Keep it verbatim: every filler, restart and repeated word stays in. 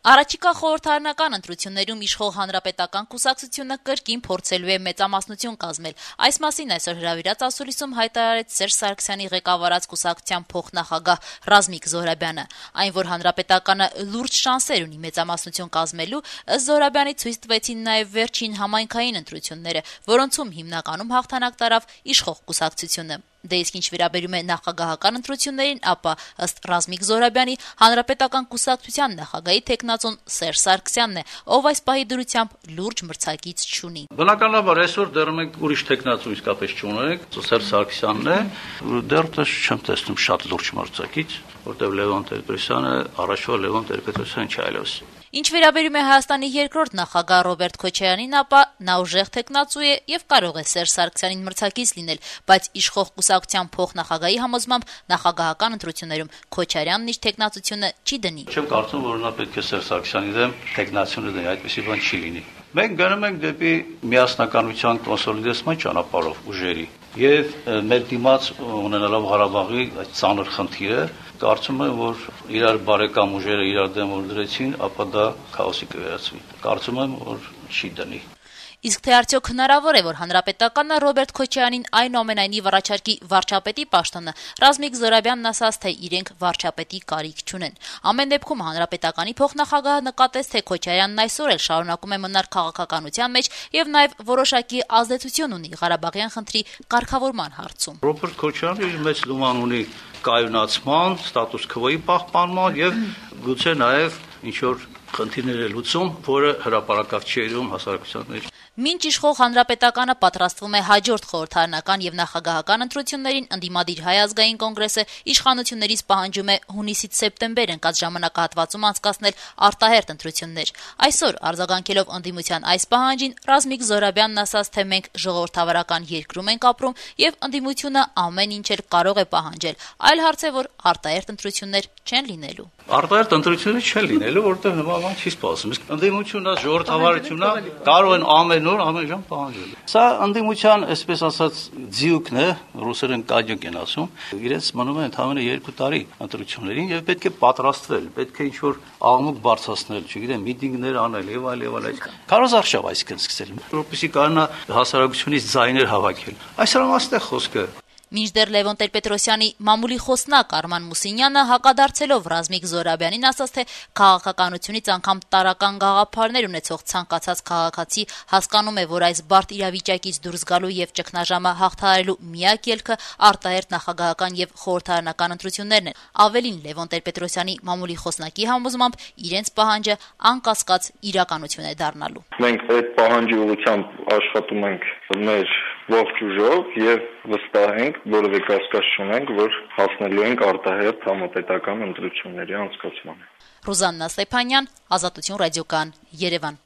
Առաջիկա խորհրդարանական ընտրություններում իշխող հանրապետական կուսակցությունը կրկին փորձելու է մեծամասնություն կազմել։ Այս մասին այսօր հրավիրած ասուլիսում հայտարարեց Սերժ Սարգսյանի ղեկավարած կուսակցության փոխնախագահ Ռազմիկ Զոհրաբյանը։ Այն, որ հանրապետականը լուրջ շանսեր ունի մեծամասնություն կազմելու, ըստ Զոհրաբյանի ցույց տվեցին նաև վերջին համայնքային ընտրությունները, որոնցում հիմնականում հաղթանակ տարավ իշխող կուսակցությունը։ Դե իսկ ինչ վերաբերում է նախագահական ընտրություններին, ապա ըստ Ռազմիկ Զոհրաբյանի հանրապետական կուսակցության նախագահի թեկնածուն Սերժ Սարգսյանն է, ով այս պահի դրությամբ լուրջ մրցակից չունի։ Բնականաբար այսօր դեռ մենք ուրիշ թեկնածու իսկապես չունենք, Սերժ Սարգսյանն է, դեռ չեմ տեսնում շատ լուրջ մրցակից, որտեղ Լևոն Տեր-Պետրոսյանը առաջվա Լևոն Տեր-Պետրոսյանը չի այլևս։ Ինչ վերաբերում է Հայաստանի երկրորդ նախագահ Ռոբերտ Քոչարյանին, ապա նա ուժեղ թեկնածու է եւ կարող է Սերժ Սարգսյանին մրցակից լինել, բայց իշխող կուսակցության փոխնախագահի համոզմամբ նախագահական ընտրություններում Քոչարյանն իր թեկնածությունը չի դնի։ Չեմ կարծում, որ նա պետք է Սերժ Սարգսյանի դեմ թեկնածությունը դնի, այդպեսի բան չի լինի։ Մենք գնում ենք դեպի միասնականության կոնսոլիդացման ճանապարհով ուժերի եւ մեր դիմաց ունենալով Ղարաբաղի այդ ծանր խնդիրը, կարծում եմ, որ իրար բարեկամ ուժերը իրար դեմ որ դրեցին, ապա դա քաոսի կվերածվի։ Կարծում եմ, որ չի դնի։ Իսկ թե արդյոք հնարավոր է, որ հանրապետականը Ռոբերտ Քոչարյանին այնուամենայնիվ առաջարկի վարչապետի պաշտոնը, Ռազմիկ Զոհրաբյանն ասաց, թե իրենք վարչապետի կարիք չունեն։ Ամեն դեպքում հանրապետականի փոխնախագահը նկատեց, թե Քոչարյանն այսօր էլ շարունակում է մնալ քաղաքականության մեջ եւ նաեւ որոշակի ազդեցություն ունի Ղարաբաղյան խնդրի կարգավորման հարցում։ Ռոբերտ Քոչարյանը իր մեծ լուման ունի կայունացման, ստատուս քվոյի պահպանման եւ գուցե նաեւ ինչ որ խնդիրներ է լուծում, որը հրապարակավ չի երևում հասարակության մեջ։ Մինչ իշխող հանրապետականը պատրաստվում է հաջորդ խորհրդարանական եւ նախագահական ընտրություններին, ընդդիմադիր Հայ ազգային կոնգրեսը իշխանություններից պահանջում է հունիսից սեպտեմբեր ընկած ժամանակահատվածում անցկացնել արտահերթ ընտրություններ։ Այսօր արձագանքելով ընդդիմության այս պահանջին, Ռազմիկ Զոհրաբյանն ասաց, թե մենք ժողովրդավարական երկրում ենք ապրում եւ ընդդիմությունը ամեն ինչ էլ կարող է պահանջել։ Այլ հարց է, որ արտահերթ ընտրություններ չեն լինելու։ Արտահերթ ընտրություններ չեն լինելու, որտեղ նման բան չի սպասում։ Իսկ ընդդիմությունը, ժողովրդավարությունը կարող են ամեն օր ամեն ժամ պահանջել։ Սա ընդդիմության, այսպես ասած, ձիուկն է, ռուսերեն կաջոկ են ասում, իրենց մնում է ընդամենը երկու տարի ընտրություններին եւ պետք է պատրաստվել, պետք է ինչ-որ աղմուկ բարձրացնել, չգիտեմ, միտինգներ անել եւ այլ եւ այլ։ Քարոզարշավ այսքան սկսել, որպեսզի կարողանա հասարակությունից ձայներ հավաքել։ Այսօր ամաստ է խոսքը։ Մինչդեռ Լևոն Տեր-Պետրոսյանի մամուլի խոսնակ Արման Մուսինյանը հակադարձելով Ռազմիկ Զոհրաբյանին ասաց, թե քաղաքականությունից անգամ տարական գաղափարներ ունեցող ցանկացած քաղաքացի հասկանում է, որ այս բարդ իրավիճակից դուրս գալու եւ ճգնաժամը հաղթահարելու միակ ելքը արտահերթ նախագահական եւ խորհրդարանական ընտրություններն են։ Ավելին, Լևոն Տեր-Պետրոսյանի մամուլի խոսնակի համոզմամբ իրենց պահանջը անկասկած իրականություն է դառնալու։ Մենք այդ պահանջի ուղղությամբ աշխատում ենք մեր ողջ ուժով եւ վստահ ենք, որովե կասկած չունենք, որ հասնելու ենք արտահերթ համապետական ընտրությունների անցկացմանը։ Ռուզաննա Ստեփանյան, Ազատություն ռադիոկան, Երևան։